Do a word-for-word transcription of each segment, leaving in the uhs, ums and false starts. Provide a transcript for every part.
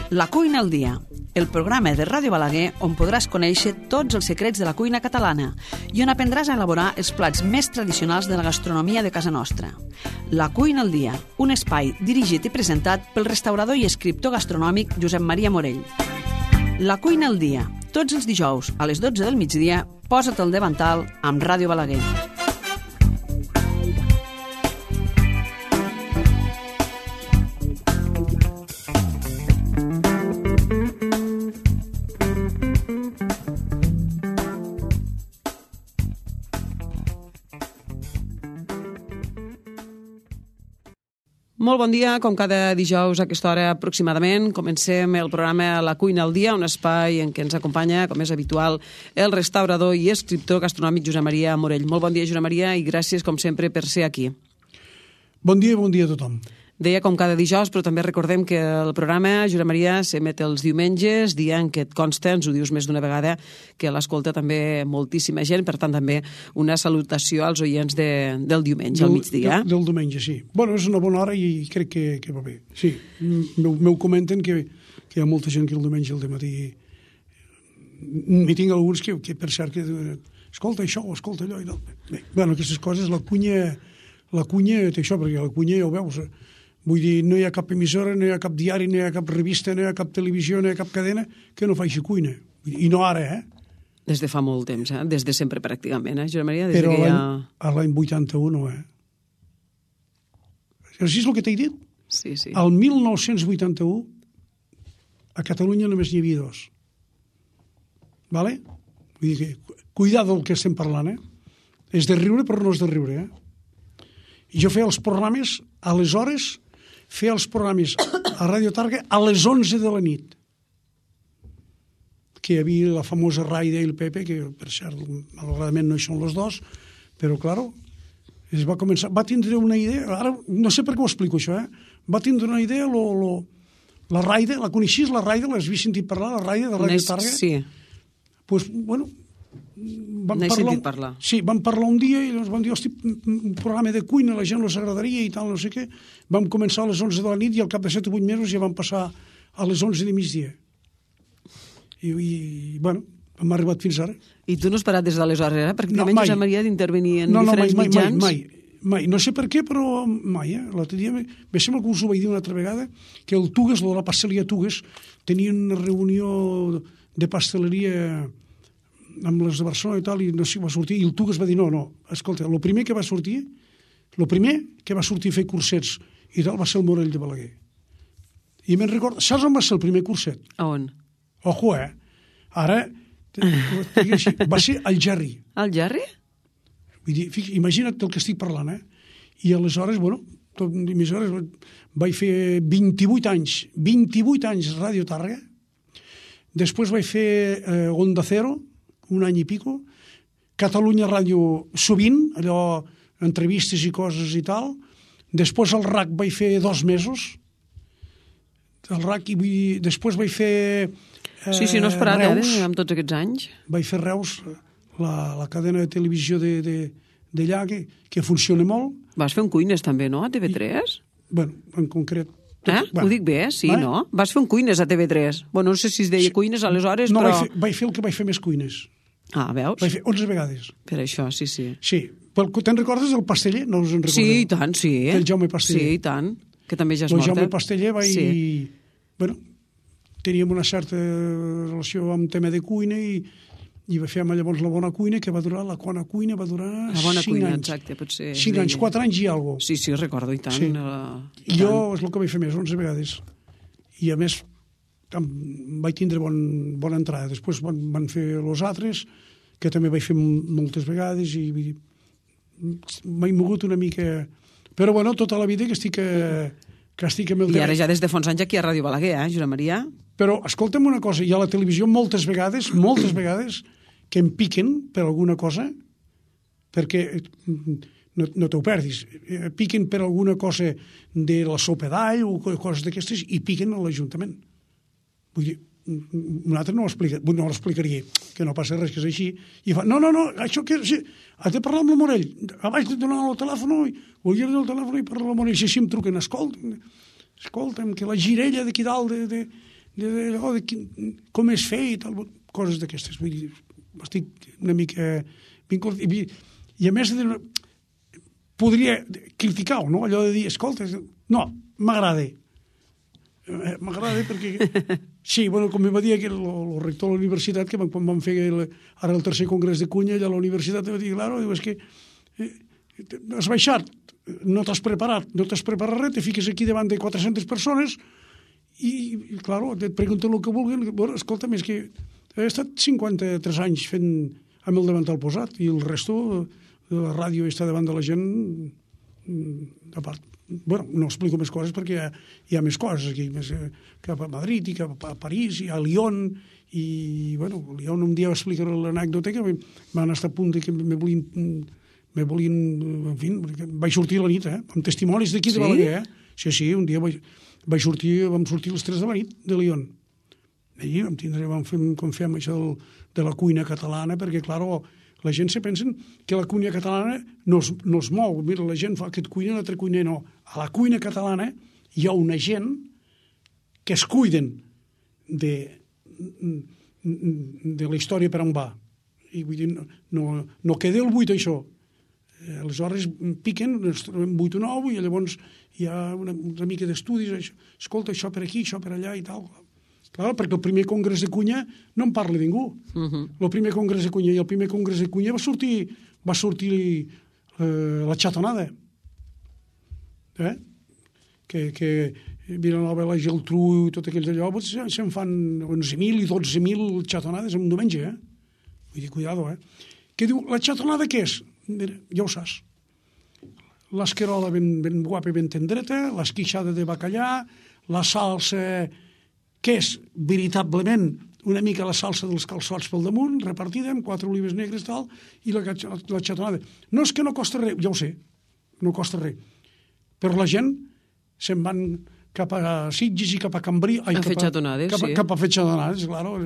La cuina al dia, el programa de Ràdio Balaguer on podràs conèixer tots els secrets de la cuina catalana i on aprendràs a elaborar els plats més tradicionals de la gastronomia de casa nostra. La cuina al dia, un espai dirigit i presentat pel restaurador i escriptor gastronòmic Josep Maria Morell. La cuina al dia, tots els dijous a les dotze del migdia, posa't al davantal amb Ràdio Balaguer. Molt bon dia, com cada dijous a aquesta hora aproximadament. Comencem el programa La cuina al dia, un espai en què ens acompanya, com és habitual, el restaurador i escriptor gastronòmic Josep Maria Morell. Molt bon dia, Josep Maria, i gràcies, com sempre, per ser aquí. Bon dia i bon dia a tothom. Deia com cada dijous, però també recordem que el programa, Josep Maria, s'emet els diumenges, dia en què et consta, ens ho dius més d'una vegada, que l'escolta també moltíssima gent, per tant també una salutació als oients de, del diumenge, del, al migdia. Del, del diumenge, sí. Bueno, és una bona hora i crec que, que va bé. Sí, m'ho comenten que, que hi ha molta gent que el diumenge al dematí... M'hi tinc alguns que, que per cert, que escolta això o escolta allò i tal. Bé, bueno, aquestes coses, la cunya, la cunya té això, perquè la cunya ja ho veus... Vull dir, no hi ha cap emissora, no hi ha cap diari, no hi ha cap revista, no hi ha cap televisió, no hi ha cap cadena que no faci cuina. I no ara, eh? Des de fa molt temps, eh? Des de sempre, pràcticament, eh, Josep Maria? Des Però que ja... a l'any vuitanta-u no, eh? Així és el que t'he dit? Sí, sí. Al mil nou-cents vuitanta-u a Catalunya només n'hi havia dos. Vale? Vull dir que, cuidado del que estem parlant, eh? És de riure, però no és de riure, eh? I jo feia els programes, aleshores... fer els programes a Ràdio Targa a les onze de la nit. Que hi havia la famosa Raida i el Pepe, que per cert, malauradament no hi són els dos, però, claro, es va començar... Va tindre una idea... Ara, no sé per què ho explico, això, eh? Va tindre una idea, lo, lo, la Raida, la coneixies, la Raida? L'has vist sentit parlar, la Raida de Ràdio Targa? Sí. Pues, bueno... N'he sentit parlar. Sí, vam parlar un dia i ens vam dir, hosti, un programa de cuina, la gent els agradaria i tal, no sé què. Vam començar a les onze de la nit i al cap de set o vuit mesos ja vam passar a les onze de migdia. I, i bueno, hem arribat fins ara. I tu no has parat des d'aleshores, eh? Pràcticament no, Josep Maria d'intervenir en no, diferents no, mai, mitjans. Mai, mai, mai. No sé per què, però mai, eh? L'altre dia, me sembla que us ho vaig dir una altra vegada, que el Tugues, de la pasteleria Tugues, tenia una reunió de pasteleria amb les de Barcelona i tal, i no sé, va sortir, i el Tugues va dir, no, no, escolta, el primer que va sortir, el primer que va sortir a fer cursets i tal va ser el Morell de Balaguer. I me'n recordo, saps on va ser el primer curset? A on? Ojo, eh? Ara, així, va ser el Gerri. El Gerri? Vull dir, fica, imagina't el que estic parlant, eh? I aleshores, bueno, tot, aleshores vaig fer vint-i-vuit anys, vint-i-vuit anys a Ràdio Targa, després vaig fer eh, Onda Cero, un any i pico, Catalunya Ràdio sovint, allò, entrevistes i coses i tal, després al R A C vaig fer dos mesos, al R A C, i després vaig fer eh, sí, sí, no has parat, Reus, eh, amb tots aquests anys. Vaig fer Reus, la, la cadena de televisió de, de, d'allà, que, que funciona molt. Vas fer un Cuines també, no, a T V tres? I, bueno, en concret... Tot, eh? Bueno, ho dic bé, sí, eh? No? Vas fer un Cuines a T V tres. Bueno, no sé si es deia Cuines aleshores, no, però... No, vaig, vaig fer el que vaig fer més cuines. Ah, veus? Vaig fer onze vegades. Per això, sí, sí. Sí. Te'n recordes del Pasteller? No us en recordeu? Sí, i tant, sí. Del Jaume Pasteller. Sí, i tant. Que també ja és el mort. El Jaume Pasteller va sí. i... Bueno, teníem una certa relació amb tema de cuina i, i va fer llavors la bona cuina, que va durar, la bona cuina va durar la bona cinc cuina, anys. Exacte, potser. Cinc anys, quatre anys i alguna cosa. Sí, sí, recordo, i tant. Sí. Uh, I jo és el que vaig fer més, onze vegades. I a més, vaig tindre bon, bona entrada. Després van, van fer els altres, que també vaig fer moltes vegades i m'he mogut una mica... Però, bueno, tota la vida que estic, que estic amb el... I ara ja des de fa uns anys aquí a Ràdio Balaguer, eh, Josep Maria? Però, escolta'm una cosa, hi ha a la televisió moltes vegades, moltes vegades, que em piquen per alguna cosa, perquè no, no t'ho perdis, piquen per alguna cosa de la sopa d'all o coses d'aquestes i piquen a l'Ajuntament. Vull dir, un altre no ho explica, no l'explicaria, que no passa res, que és així, i fa, no, no, no, això que... Sí, has de parlar amb el Morell, abans de donar el telèfon, o jo el telèfon i parlar amb el Morell, si així em truquen, escolta'm, escolta'm, que la girella d'aquí dalt de, de, de, de, oh, de quin, com és fer i tal, coses d'aquestes. Vull dir, estic una mica vinculat. I, i a més, de, podria criticar-ho, no? Allò de dir, escolta, no, m'agrada. M'agrada perquè... Sí, bueno, com em va dir el, el rector de la universitat, que quan vam fer el, ara el tercer congrés de cunya, allà a la universitat, em va dir, claro, diu, és que eh, has baixat, no t'has preparat, no t'has preparat res, te fiques aquí davant de quatre-centes persones i, i claro, et pregunten el que vulguin. Bueno, escolta'm, és que he estat cinquanta-tres anys fent amb el davantal posat i el resto de la ràdio està davant de la gent a part. Bueno, no explico més coses perquè hi ha, hi ha més coses aquí, més, eh, cap a Madrid i cap a París i a Lyon i, bueno, a Lyon un dia explicaré l'anècdota que van estar a punt que me volien, me volien, en fi, vaig sortir a la nit, eh, amb testimonis d'aquí de Balaguer, eh? Sí, sí, un dia vaig, vaig sortir, vam sortir les tres de la nit de Lyon. I vam tindre, vam fer, com fem això del, de la cuina catalana, perquè, claro, la gent se pensa que la cuina catalana no es, no es mou. Mira, la gent fa aquest cuina, l'altre cuiner no. A la cuina catalana hi ha una gent que es cuiden de, de la història per on va. I vull dir, no, no, no queda el buit, això. Aleshores piquen, ens trobem vuit o nou, i llavors hi ha una, una mica d'estudis, això, escolta, això per aquí, això per allà i tal. Clar, perquè el primer congrés de cunya no en parla ningú. Uh-huh. El primer congrés de cunya i el primer congrés de cunya va sortir, va sortir eh, la xatonada. Eh? Que, que Vilanova, la Geltrú i tot aquells allò, pues, se'n fan onze mil i dotze mil xatonades en un diumenge. Eh? Vull dir, cuidado, eh? Què diu, la xatonada què és? Mira, ja ho saps. L'esquerola ben, ben guapa i ben tendreta, l'esquixada de bacallà, la salsa... que és veritablement una mica la salsa dels calçots pel damunt, repartida amb quatre olives negres tal, i la, la xatonada. No és que no costa res, ja ho sé, no costa res. Però la gent se'n van cap a Sitges i cap a Cambrí... Ai, a fer xatonades, cap a, sí. Cap a fer xatonades, claro.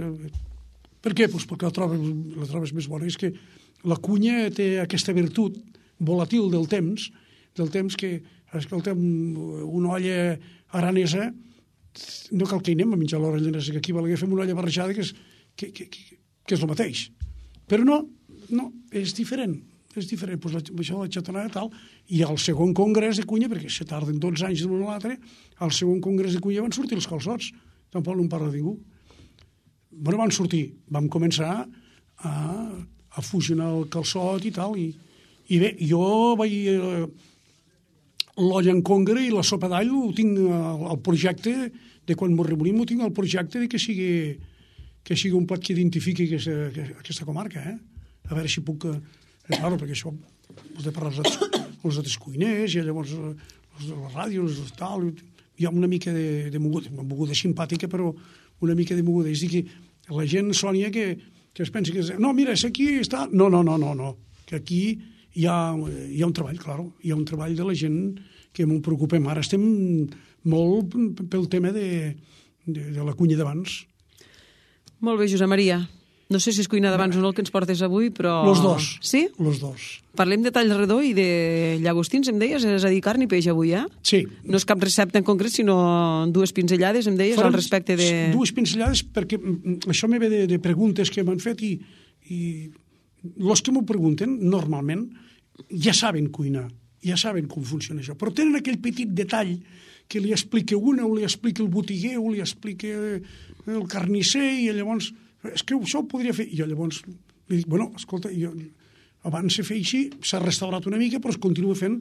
Per què? Pues perquè la trobes, la trobes més bona. És que la cunya té aquesta virtut volatil del temps, del temps que, escolta, una olla aranesa no cal que hi anem a menjar l'hora llanesa, que aquí a Balaguer fem una olla barrejada que és, que, que, que, que és el mateix. Però no, no, és diferent. És diferent, pues, la, això de la xatonada tal, i al segon congrés de cunya, perquè se tarden dotze anys d'un a l'altre, al segon congrés de cunya van sortir els calçots. Tampoc no en parla ningú. Bueno, van sortir, vam començar a, a fusionar el calçot i tal, i, i bé, jo vaig... Eh, l'olla en congre i la sopa d'all ho tinc al projecte de quan m'ho remorim, ho tinc al projecte de que sigui, que sigui un plat que identifiqui aquesta, aquesta comarca, eh? A veure si puc... Eh, claro, perquè això has de parlar als altres, als altres cuiners i llavors les ràdios i tal, hi ha una mica de, de moguda, una moguda simpàtica, però una mica de moguda. És a dir, que la gent, Sònia, que, que es pensa que... És, no, mira, és aquí està... No, no, no, no, no. Que aquí hi ha, hi ha un treball, claro, hi ha un treball de la gent que m'ho preocupem. Ara estem molt pel tema de, de, de la cuina d'abans. Molt bé, Josep Maria. No sé si és cuina d'abans o no el que ens portes avui, però... Los dos. Sí? Los dos. Parlem de tall redó i de llagostins, em deies? És a dir, carn i peix avui, eh? Sí. No és cap recepta en concret, sinó dues pinzellades, em deies, Farem al respecte de... Dues pinzellades, perquè això me ve de, de preguntes que m'han fet i, i els que m'ho pregunten, normalment, ja saben cuinar, ja saben com funciona això, però tenen aquell petit detall que li explica una, o li explica el botiguer, o li explica el carnisser, i llavors, és que això ho podria fer. I jo llavors li dic, bueno, escolta, jo, abans se feia així, s'ha restaurat una mica, però es continua fent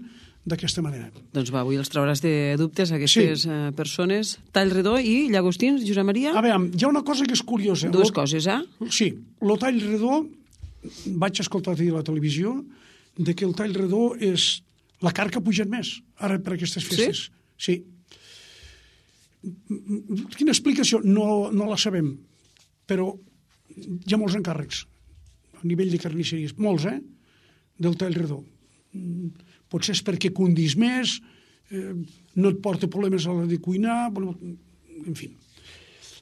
d'aquesta manera. Doncs va, avui els trauràs de dubtes aquestes sí. persones. Tall redó i llagostins, Josep Maria? A veure, hi ha una cosa que és curiosa. Dues lo, coses, eh? Sí, el tall redó, vaig escoltar a la televisió, de que el tall redó és la carn que ha pujat més, ara per aquestes festes. Sí? Sí. Quina explicació? No, no la sabem, però hi ha molts encàrrecs a nivell de carnisseries, molts, eh?, del tall redó. Potser és perquè condís més, eh, no et porta problemes a l'hora de cuinar, en fi.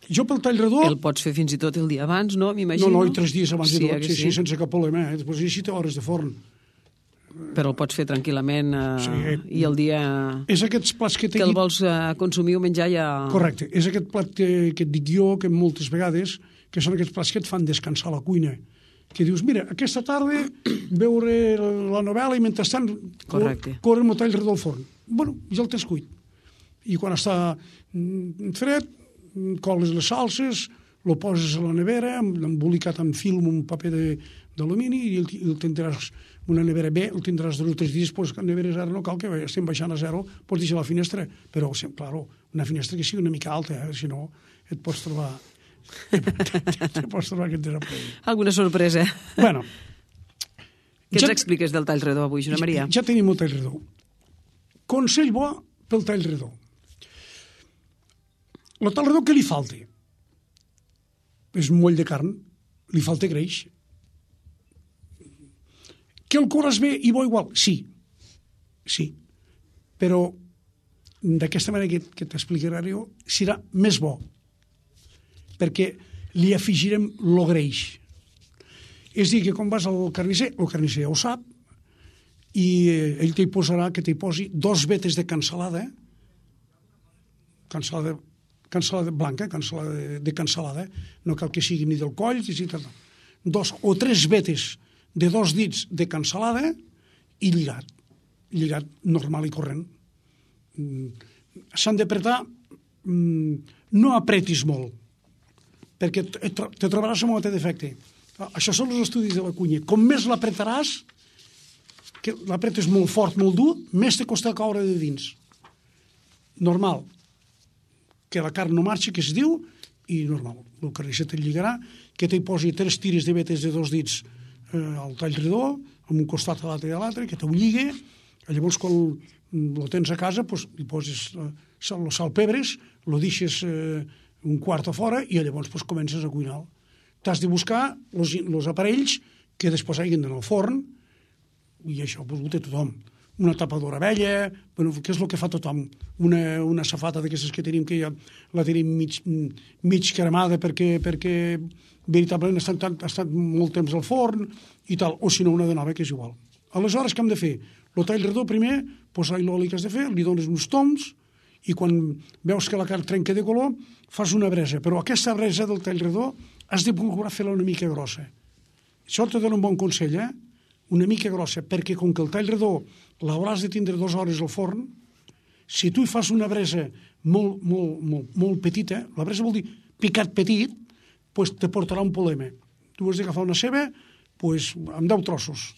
Jo pel tall redó... El pots fer fins i tot el dia abans, no? M'imagino. No, no, i tres dies abans sí, de tot, sí, sí, sí, sense cap problema. Eh? Després necessita hores de forn. Però el pots fer tranquil·lament eh, Sí. i el dia És aquests plats que t'he que el dit... vols eh, consumir o menjar ja... Correcte. És aquest plat que, que et dic jo, que moltes vegades, que són aquests plats que et fan descansar a la cuina. Que dius, mira, aquesta tarda veure la novel·la i mentrestant Correcte. corre el tall redó al forn. Bueno, ja el tens cuit. I quan està mm, fred, coles les salses, lo poses a la nevera, embolicat amb film, un paper d'alumini, i el, el tindràs una nevera bé, el tindràs dos o tres dies, pues, que la nevera zero no cal que estem baixant a zero, pots deixar la finestra, però, claro, una finestra que sigui una mica alta, eh? Si no et pots trobar... et pots trobar que et desapareix. Alguna sorpresa. Bueno. Què ja, ens expliques del tall redó avui, Josep Maria? Ja, ja tenim el tall redó. Consell bo pel tall redó. El tall redó, què li falta? És un moll de carn, li falta greix. Que el corres bé i bo igual? Sí, sí. Però d'aquesta manera que, que t'explicaré jo, serà més bo, perquè li afegirem lo greix. És dir, que quan vas al carnisser, el carnisser ja ho sap, i ell t'hi posarà, que t'hi posi dos vetes de cansalada, cansalada, cansalada blanca, cansalada de, de cansalada, no cal que sigui ni del coll, ni tal, dos o tres vetes de dos dits de cansalada i lligat, lligat normal i corrent. S'han d'apretar, no apretis molt, perquè te trobaràs amb un altre defecte. Això són els estudis de la cuina. Com més l'apretaràs, que l'apretes molt fort, molt dur, més te costa caure de dins. Normal. Que la carn no marxi, que es diu, i normal. El carnisser te lligarà, que t'hi posi tres tires de vetes de dos dits eh, al tall redó, amb un costat a l'altre i a l'altre, que t'ho lligui. Llavors, quan lo tens a casa, pues, li poses eh, sal, sal, pebres, lo deixes eh, un quart a fora i llavors pues, comences a cuinar. T'has de buscar els aparells que després hagin d'anar al forn, i això pues, ho té tothom. Una tapadora vella, bueno, què és el que fa tothom? Una, una safata d'aquestes que tenim, que ja la tenim mig, mig cremada perquè, perquè veritablement ha estat, ha estat molt temps al forn i tal, o si no una de nova, que és igual. Aleshores, què hem de fer? El tall redó, primer, posar l'oli que has de fer, li dones uns toms, i quan veus que la carn trenca de color, fas una bresa. Però aquesta bresa del tall redó has de procurar fer-la una mica grossa. Això te dona un bon consell, eh? Una mica grossa, perquè com que el tall redó l'hauràs de tindre dues hores al forn, si tu hi fas una bresa molt, molt, molt, molt petita, la bresa vol dir picat petit, pues te portarà un problema. Tu has d'agafar una ceba pues, amb deu trossos,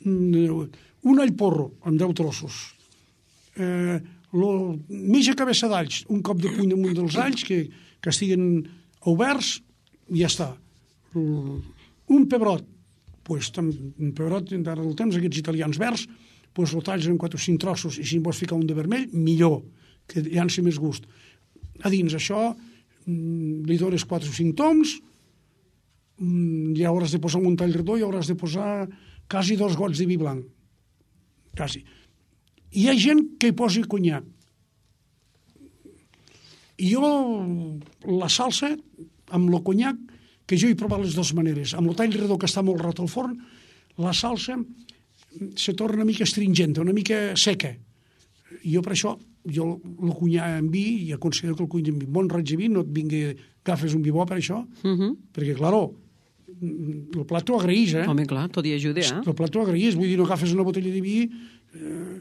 un all porro amb deu trossos, eh, lo, mitja cabeça d'alls, un cop de puny damunt dels alls que, que estiguen oberts, i ja està. Un pebrot, pues, un pebrot, ara del temps, aquests italians verds, pues, el talls en quatre o cinc trossos, i si en vols ficar un de vermell, millor, que llanci més gust. A dins això, li dones quatre o cinc toms, ja hauràs de posar un tall redó i hauràs de posar quasi dos gots de vi blanc. Quasi. Hi ha gent que hi posi conyac. I jo, la salsa, amb el conyac, que jo he provat les dues maneres. Amb el tall redó, que està molt rat al forn, la salsa se torna una mica astringenta, una mica seca. I jo per això, jo el cunyar en vi, i aconseguir que el cunyar en vi. Bon raig de vi, no et vingui, agafes un vi bo per això, uh -huh. perquè, claro, el plat t'ho agraeix, eh? Home, clar, tot hi ajuda, eh? El plat t'ho agraeix, vull dir, no agafes una botella de vi, eh,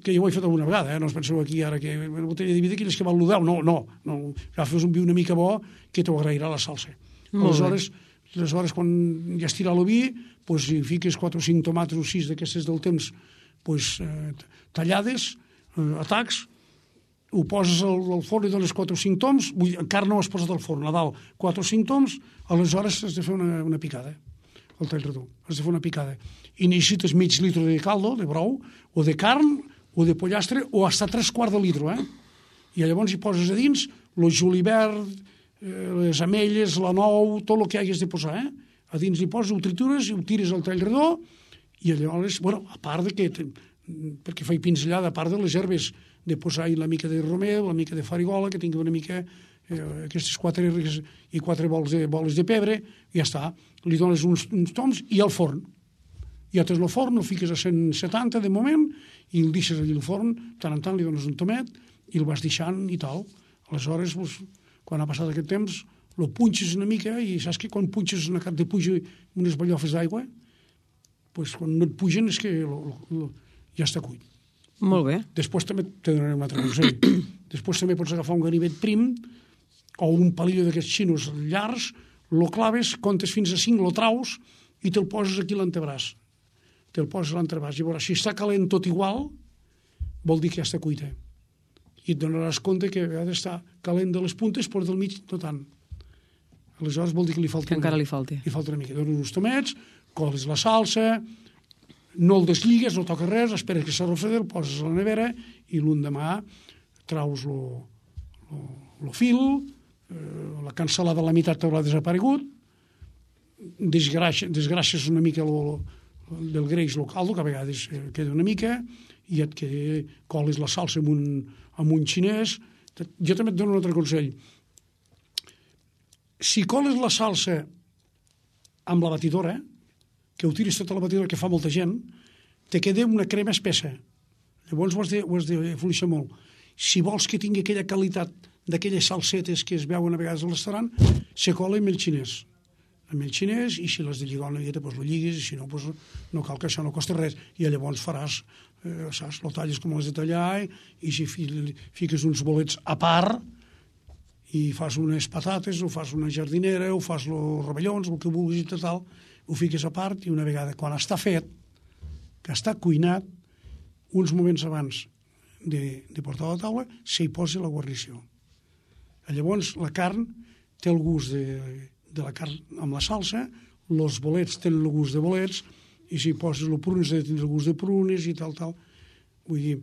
que jo ho he fet alguna vegada, eh? No us penseu aquí ara que una botella de vi d'aquelles que val l'u deu, no, no, no, agafes un vi una mica bo que t'ho agrairà la salsa. Aleshores, aleshores, quan ja estira el vi, pues, hi fiques quatre o cinc tomates o sis d'aquestes del temps pues, eh, tallades, eh, a tacs, ho poses al, al forn i dones quatre o cinc toms, vull, encara no has posat al forn, a dalt quatre o cinc toms, aleshores has de fer una, una picada, el tall redó, has de fer una picada. I necessites mig litre de caldo, de brou, o de carn, o de pollastre, o hasta tres quarts de litre, eh? I llavors hi poses a dins el julivert, les ametlles, la nou, tot el que hagués de posar, eh? A dins hi poses, ho tritures, ho tires al tall redó, i llavors, bueno, a part de que, perquè faig pinzellada, a part de les herbes, de posar-hi la mica de romeu, la mica de farigola, que tingui una mica, eh, aquestes quatre herbes i quatre boles de, boles de pebre, i ja està. Li dones uns, uns toms i al forn. ja tens el forn, el fiques a cent setanta de moment i el deixes allà al forn, tant en tant li dones un tomet i el vas deixant i tal. Aleshores, pues, quan ha passat aquest temps, el punxes una mica i saps que quan punxes una cap de puja unes ballofes d'aigua, pues, quan no et pugen és que lo, lo, lo, ja està cuit. Molt bé. Després també te donaré un altre consell. Després també pots agafar un ganivet prim o un palillo d'aquests xinos llargs, lo claves, comptes fins a cinc, lo traus i te'l poses aquí a l'antebraç. Te'l poses a l'antebraç. I veuràs, si està calent tot igual, vol dir que ja està cuita. I et donaràs compte que a vegades està calent de les puntes, però del mig no tant. Aleshores vol dir que li falta... Que encara li falti. Li falta una mica. Dones uns tomets, coles la salsa, no el desligues, no toques res, esperes que s'arrofredi, el poses a la nevera i l'endemà traus lo, lo, lo fil, eh, la cansalada a la meitat t'haurà desaparegut, desgràcies, desgràcies una mica lo, lo, del greix, el caldo, que a vegades eh, queda una mica, i et queda, coles la salsa amb un, amb un xinès. Jo també et dono un altre consell. Si coles la salsa amb la batidora, que ho tiris tota la batidora, que fa molta gent, te queda una crema espessa. Llavors ho has de, ho has de fluixar molt. Si vols que tingui aquella qualitat d'aquelles salsetes que es veuen a vegades al restaurant, se cola amb el xinès. Amb el xinès, i si l'has de lligar una miqueta, doncs lo lligues, i si no, doncs no cal que això no costa res. I llavors faràs, eh, saps, lo talles com l'has de tallar, i si fiques uns bolets a part, i fas unes patates, o fas una jardinera, o fas los rovellons, el que vulguis i tal, ho fiques a part, i una vegada, quan està fet, que està cuinat, uns moments abans de, de portar a la taula, s'hi posa la guarnició. Llavors, la carn té el gust de, de la carn amb la salsa, els bolets tenen el gust de bolets, i si poses el prunes, ha de tenir el gust de prunes i tal, tal. Vull dir,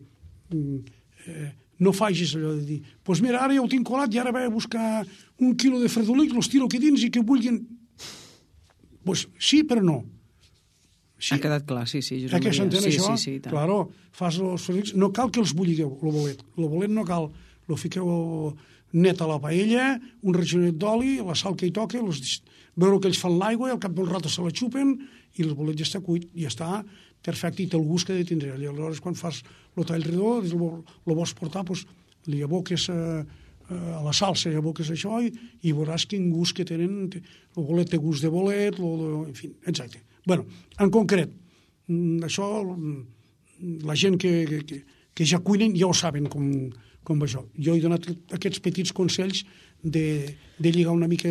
eh, no facis allò de dir, doncs pues mira, ara ja ho tinc colat i ara vaig a buscar un quilo de fredolic, los tiro aquí dins i que vulguin... Doncs pues sí, però no. Sí. Ha quedat clar, sí, sí. Eh que s'entén sí, això? Sí, sí, claro, fas els fredolics, no cal que els bulligueu, el bolet. El bolet no cal, lo fiqueu net a la paella, un ragionet d'oli, la sal que hi toca, los... veure que ells fan l'aigua, al cap d'un rato se la xupen, i el bolet ja està cuit, ja està perfecte, i té el gust que ha de tindre. I aleshores, quan fas el tall redó, el vols portar, doncs, li aboques a, a la salsa, li aboques això, i, i veuràs quin gust que tenen. El bolet té gust de bolet, lo, lo, en fi, exacte. Bueno, en concret, això, la gent que, que, que ja cuinen ja ho saben com, com va això. Jo he donat aquests petits consells de, de lligar una mica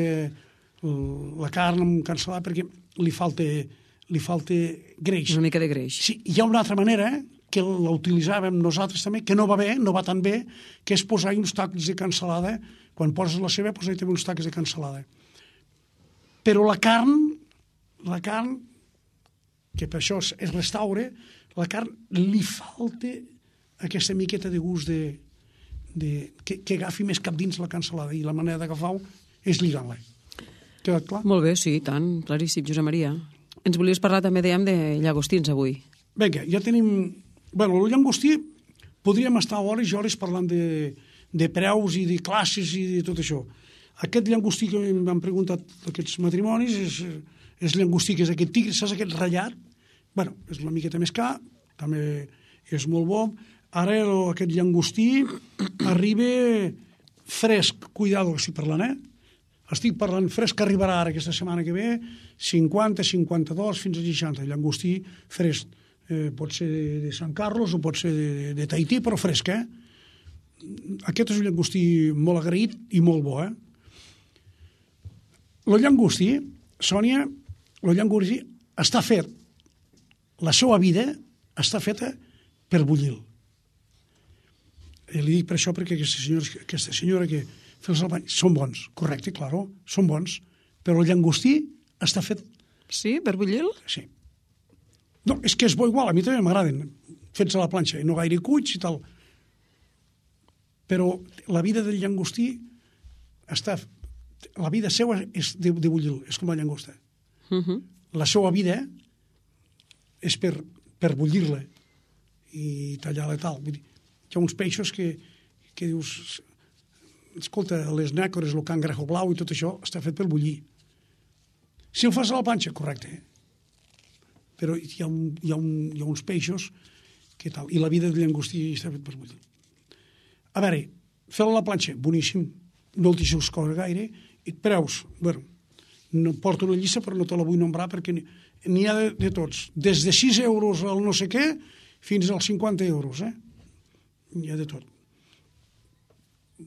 la carn amb cansalada perquè li falta, li falta greix. Una mica de greix. Sí, hi ha una altra manera que la utilitzàvem nosaltres també, que no va bé, no va tan bé, que és posar uns tacs de cansalada. Quan poses la ceba, posar també uns tacs de cansalada. Però la carn, la carn, que per això es restaura, la carn li falta aquesta miqueta de gust de, de, que, que agafi més cap dins la cansalada, i la manera d'agafar-ho és lligant-la. Quedat clar? Molt bé, sí, tant, claríssim, Josep Maria. Ens volies parlar també, dèiem, de llagostins avui. Vinga, ja tenim... Bueno, el llagostí podríem estar hores i hores parlant de, de preus i de classes i de tot això. Aquest llagostí que m'han preguntat aquests matrimonis és, és llagostí que és aquest tigre, saps aquest ratllat? Bueno, és una miqueta més car, també és molt bo. Ara aquest llagostí arriba fresc, cuidado que estic parlant, eh? Estic parlant fresc, que arribarà ara aquesta setmana que ve, cinquanta, cinquanta-dos, fins a seixanta. Llagostí fresc. Eh, pot ser de Sant Carlos o pot ser de, de Tahití, però fresc, eh? Aquest és un llagostí molt agraït i molt bo, eh? El llagostí, Sònia, el llagostí està fet, la seva vida està feta per bullir-lo. I li dic per això perquè aquesta senyora, aquesta senyora que fa els albany són bons, correcte, claro, són bons, però el llagostí està fet... Sí, per bullir-lo? Sí. No, és que és bo igual, a mi també m'agraden, fets a la planxa, i no gaire cuits i tal. Però la vida del llagostí està... La vida seva és de, de bullir-lo, és com la llagosta. Uh -huh. La seva vida és per, per bullir-la i tallar-la i tal. Vull dir, hi ha uns peixos que, que dius... Escolta, les nècores, el cangrejo blau i tot això està fet per bullir. Si el fas a la planxa, correcte. però hi ha, un, hi ha, un, hi ha uns peixos que tal, i la vida de llangostí està fet per bullir. A veure, fer-la a la planxa, boníssim, no el deixeu córrer gaire, i preus, bueno, no porto una llista però no te la vull nombrar perquè n'hi ha de, de tots, des de sis euros al no sé què fins als cinquanta euros, eh? N'hi ha de tot.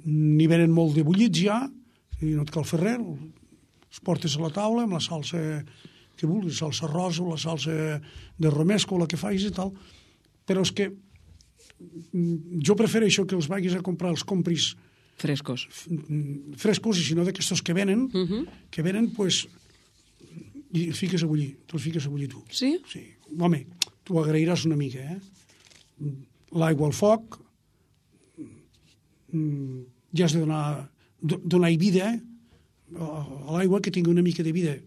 N'hi venen molt de bullits ja, i no et cal fer res, els portes a la taula amb la salsa que vulguis, salsa rosa o la salsa de romesco o la que facis i tal, però és que jo prefereixo que els vagis a comprar, els compris frescos. Frescos, i si no d'aquestos que venen, uh -huh. que venen, pues, i els fiques a bullir, te'ls fiques a bullir tu. Sí? Sí. Home, tu agrairàs una mica, eh? L'aigua al foc, ja has de donar, donar vida, eh? A l'aigua que tingui una mica de vida.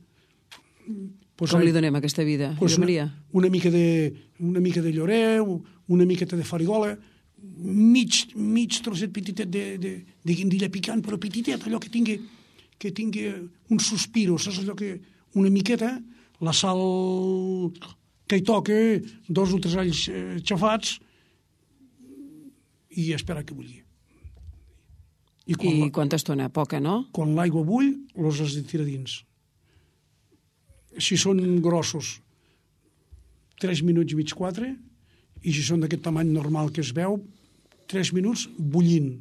Pues, com li donem aquesta vida, pues una, Maria? Una mica de, una mica de lloreu, una miqueta de farigola, mig, mig trosset petitet de, de, de guindilla picant, però petitet, allò que tingui, que tingui un sospiro, saps allò que... Una miqueta, la sal que hi toca, dos o tres alls eh, xafats, i esperar que bulli. I, quan I la, quanta estona? Poca, no? Quan l'aigua bull, els has de tirar dins. Si són grossos, tres minuts i mig, quatre, i si són d'aquest tamany normal que es veu, tres minuts bullint.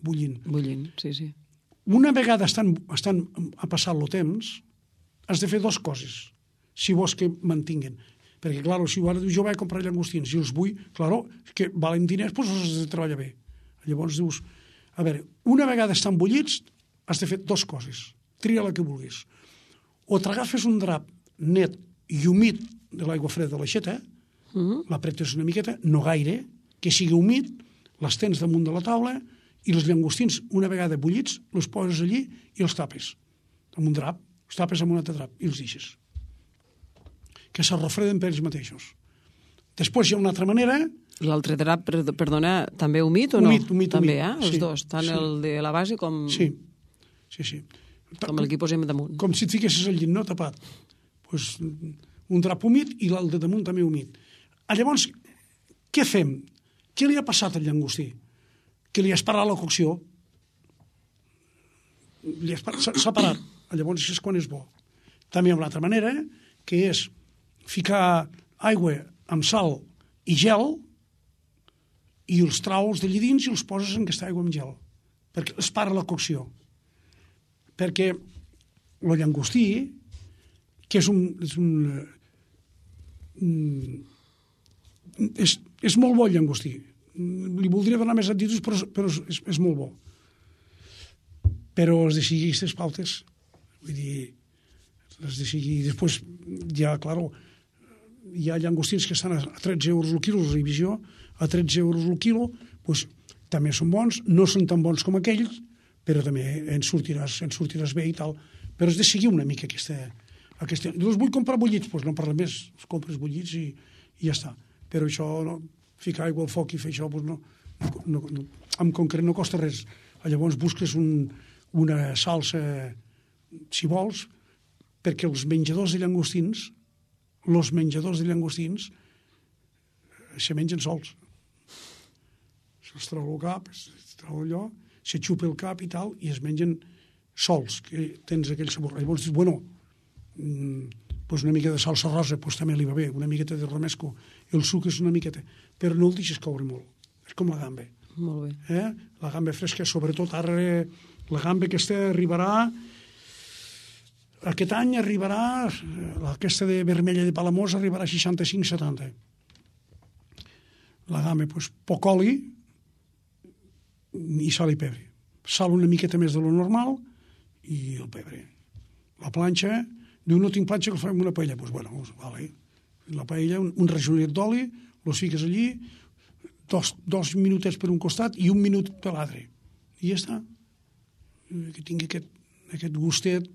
Bullint. Bullint, sí, sí. Una vegada estan, estan a passar el temps, has de fer dues coses, si vols que mantinguen. Perquè, clar, si jo vaig a comprar llangostins i els vull, clar, que valen diners, doncs els has de treballar bé. Llavors dius, a veure, una vegada estan bullits, has de fer dues coses. Tria la que vulguis. O t'agafes un drap net i humit de l'aigua freda de l'aixeta, mm. l'apretes una miqueta, no gaire, que sigui humit, les tens damunt de la taula, i els llangostins, una vegada bullits, els poses allí i els tapes amb un drap, els tapes amb un altre drap i els deixes. Que s'arrofreden per ells mateixos. Després hi ha una altra manera... L'altre drap, perdona, també humit o no? Humit, humit, també, humit. Eh? Els sí, dos, tant sí. El de la base com... Sí, sí, sí. Com el que posem damunt. Com si et fiquessis al llit, no tapat. Pues, un drap humit i l'alt de damunt també humit. Llavors, què fem? Què li ha passat al llangostí? Que li has parat la cocció, s'ha parat, llavors és quan és bo. També hi ha una altra manera, que és ficar aigua amb sal i gel i els traus d'allí dins i els poses en aquesta aigua amb gel, perquè es para la cocció. Perquè el llangostí, que és un... És, un, és, és molt bo el llangostí, li voldria donar més actituds, però, però és, és molt bo. Però has de seguir aquestes pautes. Vull dir, has de seguir... Després, ja, clar, hi ha llangostins que estan a tretze euros el quilo, la revisió, a tretze euros el quilo, doncs, també són bons, no són tan bons com aquells, però també en sortiràs, en sortiràs bé i tal. Però has de seguir una mica aquesta... aquesta... Doncs vull comprar bullits, doncs no parla més, els compres bullits i, i ja està. Però això... No, ficar aigua al foc i fer això, doncs no, no, no, en concret no costa res. Llavors busques un, una salsa, si vols, perquè els menjadors de llangostins, els menjadors de llangostins, se mengen sols. Se'ls treu el cap, es treu allò, se xupa el cap i tal, i es mengen sols, que tens aquell sabor. Llavors dius, bueno, pues una mica de salsa rosa pues també li va bé, una miqueta de romesco, el suc és una miqueta, però no el deixes coure molt, és com la gamba. Molt bé. Eh? La gamba fresca, sobretot ara la gamba aquesta arribarà, aquest any arribarà, aquesta de vermella de Palamós arribarà a seixanta-cinc setanta. La gamba, pues, poc oli i sal i pebre. Sal una miqueta més de lo normal i el pebre. La planxa, diu, no tinc planxa que el fem una paella. Doncs, bueno, vale. La paella, un, un rajollet d'oli, los fiques allí, dos, dos minutets per un costat i un minut per l'altre. I ja està. Que tingui aquest, aquest gustet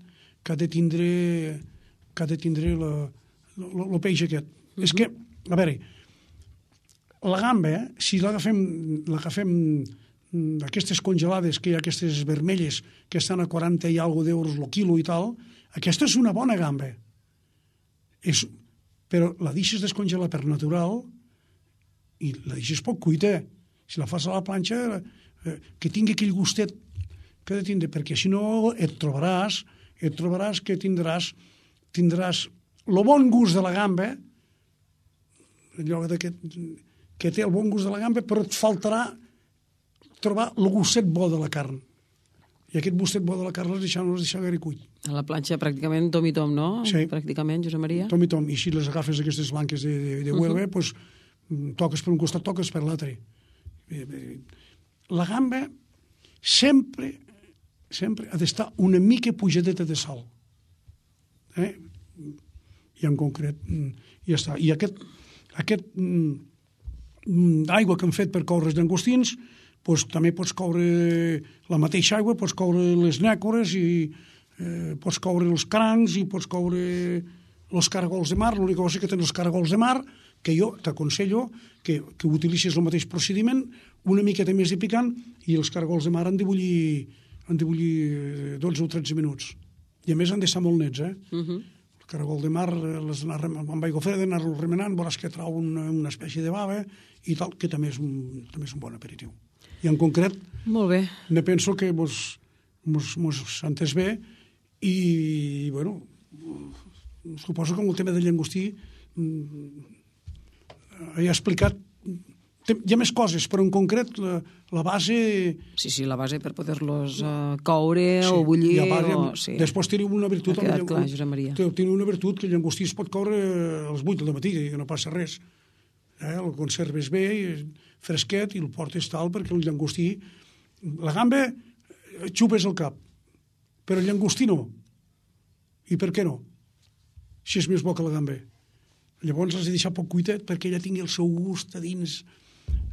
que ha de tindre, que ha de tindre la, la, la peix aquest. Mm-hmm. És que, a veure, la gamba, si l'agafem, l'agafem d'aquestes congelades, que hi ha aquestes vermelles que estan a quaranta i alguna d'euros el quilo i tal, aquesta és una bona gamba. És, però la deixes descongelar per natural i la deixes poc cuita. Si la fas a la planxa, eh, que tingui aquell gustet que ha de tindre, perquè si no et trobaràs, et trobaràs que tindràs tindràs el bon gust de la gamba, allò de que, que té el bon gust de la gamba, però et faltarà trobar el gustet bo de la carn. I aquest gustet bo de la carn l'has deixat, no l'has deixat gaire cuit. A la planxa pràcticament tom i tom, no? Sí. Pràcticament, Josep Maria. Tom i tom. I si les agafes aquestes blanques de, de, de Huelva, uh -huh. pues, toques per un costat, toques per l'altre. La gamba sempre, sempre ha d'estar una mica pujadeta de sal. Eh? I en concret, ja està. I aquest, aquest mm, aigua que hem fet per coure els llangostins, pues, també pots coure la mateixa aigua, pots coure les nècores i eh, pots coure els crancs i pots coure els caragols de mar. L'única cosa que tenen els caragols de mar, que jo t'aconsello que, que utilitzis el mateix procediment, una miqueta més de picant, i els caragols de mar han de bullir, han de bullir dotze o tretze minuts. I a més han d'estar molt nets, eh? Uh -huh. El caragol de mar, les anar amb aigua freda, anar-lo remenant, veuràs que trau una, una espècie de bava i tal, que també és un, també és un bon aperitiu. I en concret, molt bé, ne penso que mos, mos, mos entès bé i, bueno, suposo que amb el tema del llangostí he explicat, hi ha més coses, però en concret la, la base... Sí, sí, la base per poder-los uh, coure sí, o bullir. Part, o... Sí. Després teniu una virtut... Ha quedat clar, Josep Maria. Teniu una virtut que el llangostí es pot coure a les vuit del matí, que no passa res. Eh? El conserves bé, fresquet, i el portes tal, perquè el llangostí... La gamba xupes el cap, però el llangostí no. I per què no? Si és més bo que la gamba. Llavors l'has de deixar poc cuitet perquè ella tingui el seu gust a dins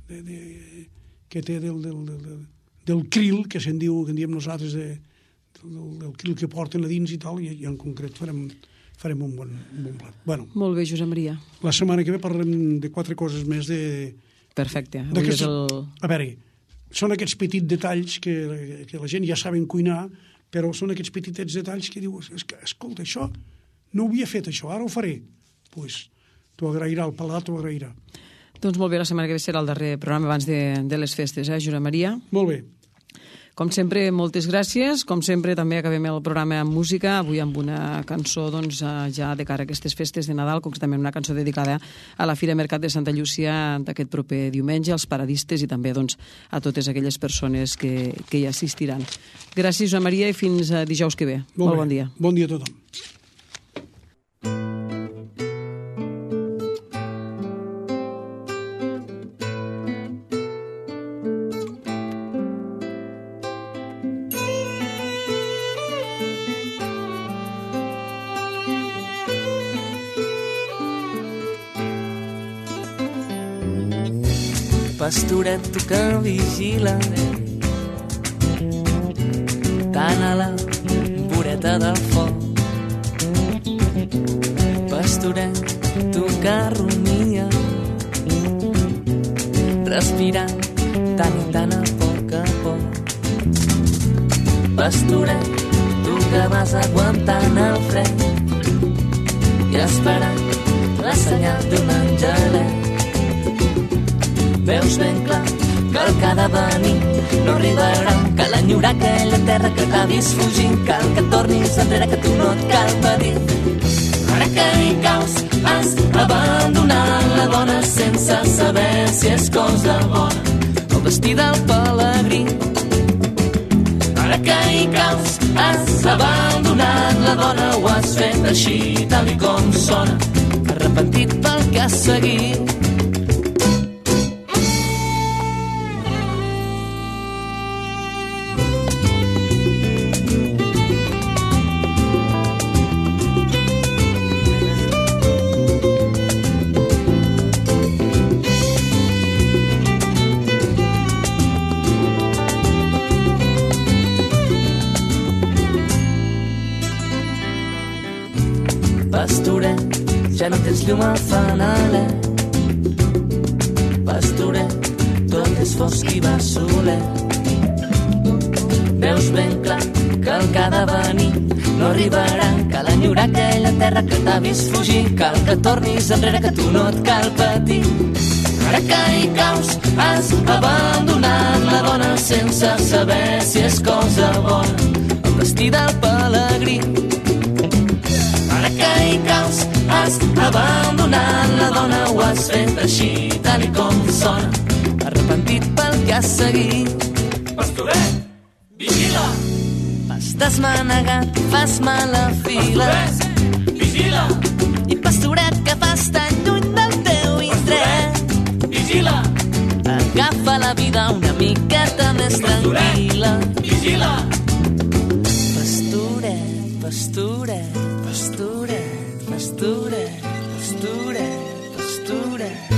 de, de, que té del, del, del, del krill, que se'n diu, que en diem nosaltres, de, del, del krill que porten a dins i tal, i, i en concret farem, farem un, bon, un bon plat. Bueno, molt bé, Josep Maria. La setmana que ve parlarem de quatre coses més de... Perfecte. Avui és el... A veure, són aquests petits detalls que, que la gent ja saben cuinar, però són aquests petitets detalls que dius, escolta, això no ho havia fet, això, ara ho faré. Doncs pues, t'ho agrairà, el paladar t'ho agrairà. Doncs molt bé, la setmana que ve serà el darrer programa abans de, de les festes, eh, Josep Maria? Molt bé. Com sempre, moltes gràcies. Com sempre, també acabem el programa amb música, avui amb una cançó doncs, ja de cara a aquestes festes de Nadal, concretament una cançó dedicada a la Fira Mercat de Santa Llúcia d'aquest proper diumenge, als paradistes i també doncs, a totes aquelles persones que, que hi assistiran. Gràcies, Josep Maria, i fins dijous que ve. Molt, molt bon dia. Bon dia a tothom. Pastoret, tu que vigilaré tant a la voreta del foc. Pastoret, tu que rumia respirant tant i tant a poc a poc. Pastoret, tu que vas aguantant el fred i esperant la senyal d'un angelet. Veus ben clar que el que ha de venir no arribarà, que l'enyorar aquella terra que t'ha vist fugint, cal que tornis enrere, que tu no et cal pedir. Ara que hi caus has abandonat la dona sense saber si és cosa bona, el destí del pelegrí. Ara que hi caus has abandonat la dona, ho has fet així tal i com sona, arrepentit pel que has seguit. Pastoret, ja no tens llum al fanalet. Pastoret, tot és fosc i va solet. Veus ben clar que el que ha de venir no no arribarà. Cal enyorar aquella terra que t'ha vist fugir. Cal que tornis enrere, que tu no et cal patir. Ara que hi caus, has abandonat la dona sense saber si és cosa bona. El destí del pelegrí. Ara que hi caus, has abandonat la dona, ho has fet així, tal i com sona. Arrepentit pel que has seguit. Pastoret, vigila! Vas desmanegat i fas mala fila. Pastoret, vigila! I pastoret que fas tan lluny del teu indret. Vigila! Agafa la vida una miqueta més tranquil·la. Vigila! Pastoret, pastoret, pastoret, pastoret, pastoret, pastoret.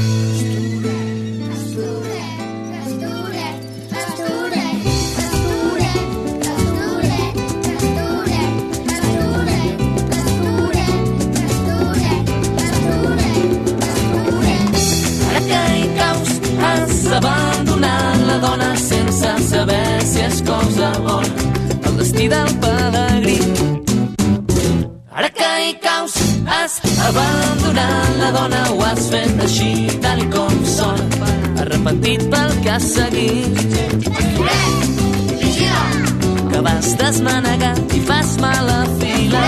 Abandonant la dona sense saber si és cosa bona. El destí del pelegrí. Ara que hi caus, has abandonat la dona, ho has fet així, tal i com sona. Arrepentit pel que has seguit. Que vas desmanegar i fas mala fila.